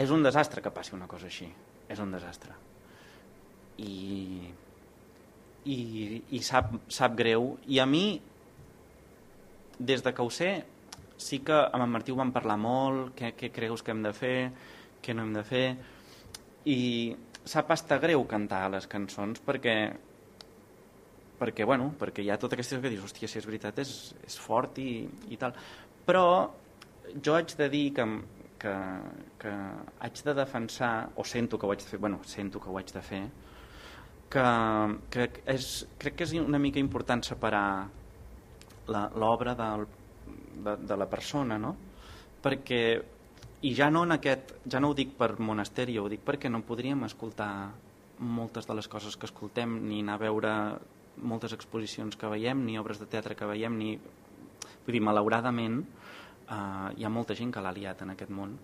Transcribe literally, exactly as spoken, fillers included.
és un desastre que passi una cosa així, és un desastre. I, i, i sap, sap greu. I a mi, des de que ho sé, sí que amb en Martí ho vam parlar molt, què, què creus que hem de fer, què no hem de fer, i sap estar greu cantar les cançons perquè perquè, bueno, perquè hi ha tota aquesta que dius, hòstia, si és veritat és, és fort i, i tal. Però jo haig de dir que, que, que haig de defensar, o sento que ho haig de fer, bueno, sento que ho haig de fer, que, que és, crec que és una mica important separar l'obra de, de la persona, no? Perquè, i ja no en aquest, ja no ho dic per monasteri, ho dic perquè no podríem escoltar moltes de les coses que escoltem, ni anar a veure moltes exposicions que veiem, ni obres de teatre que veiem, ni... Vull dir, malauradament, eh, hi ha molta gent que l'ha liat en aquest món.